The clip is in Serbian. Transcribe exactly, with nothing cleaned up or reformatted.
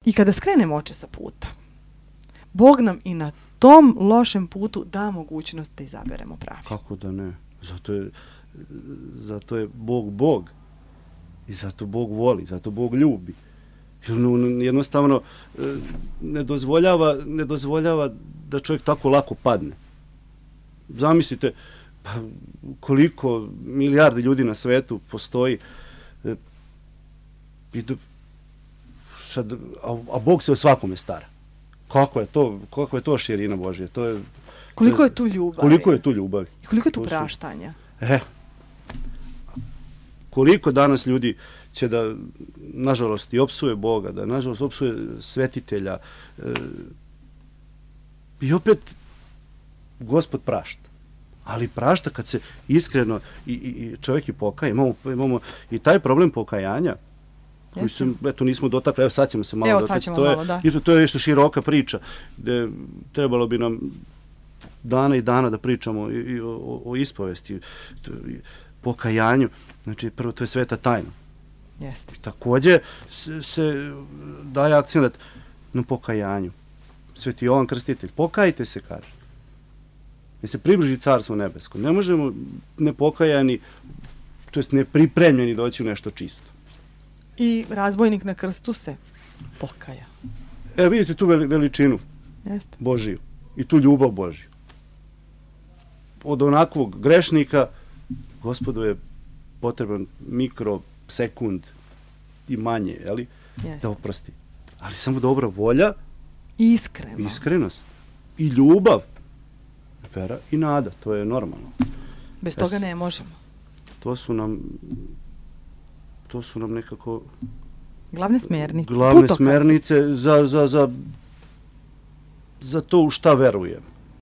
I kada skrenemo oče sa puta, Bog nam i na tom lošem putu da mogućnost da izaberemo pravi. Kako da ne? Zato je, zato je Bog Bog. I zato Bog voli, zato Bog ljubi. Jednostavno ne dozvoljava, ne dozvoljava da čovjek tako lako padne. Zamislite pa, koliko milijardi ljudi na svetu postoji i do, sad, a, a Bog se o svakome stara. Kako je to, kako je to širina Božja? To je, koliko je tu ljubavi? Koliko je tu ljubavi? I koliko je tu praštanja? E, koliko danas ljudi će da, nažalost, i opsuje Boga, da, nažalost, opsuje svetitelja. E, I opet, Gospod prašta. Ali prašta kad se iskreno i, i, i čovjek i pokaje. Imamo, imamo i taj problem pokajanja, koji se, eto, nismo dotakli, evo sad ćemo se malo evo, dotakli. Ćemo to, je, malo, da. to je nešto široka priča, gde trebalo bi nam dana i dana da pričamo i, i o, o ispovesti, pokajanju. Znači, prvo, to je sveta tajna. Jeste. Takođe se, se daje akcenat na pokajanju. Sveti Jovan Krstitelj, pokajte se, kaže. Da se približi carstvo nebesko. Ne možemo nepokajani, to jest nepripremljeni doći u nešto čisto. I razbojnik na krstu se pokaja. E, vidite tu veličinu Jeste. Božiju i tu ljubav Božiju. Od onakvog grešnika Gospodu je potreban mikrosekund i manje, jeli, da oprosti. Ali samo dobra volja, iskreno. Iskrenost i ljubav, vera i nada, to je normalno. Bez toga ne možemo. To su nam to su nam nekako glavne smernice. Glavne smernice za, za, za, za to u šta verujem.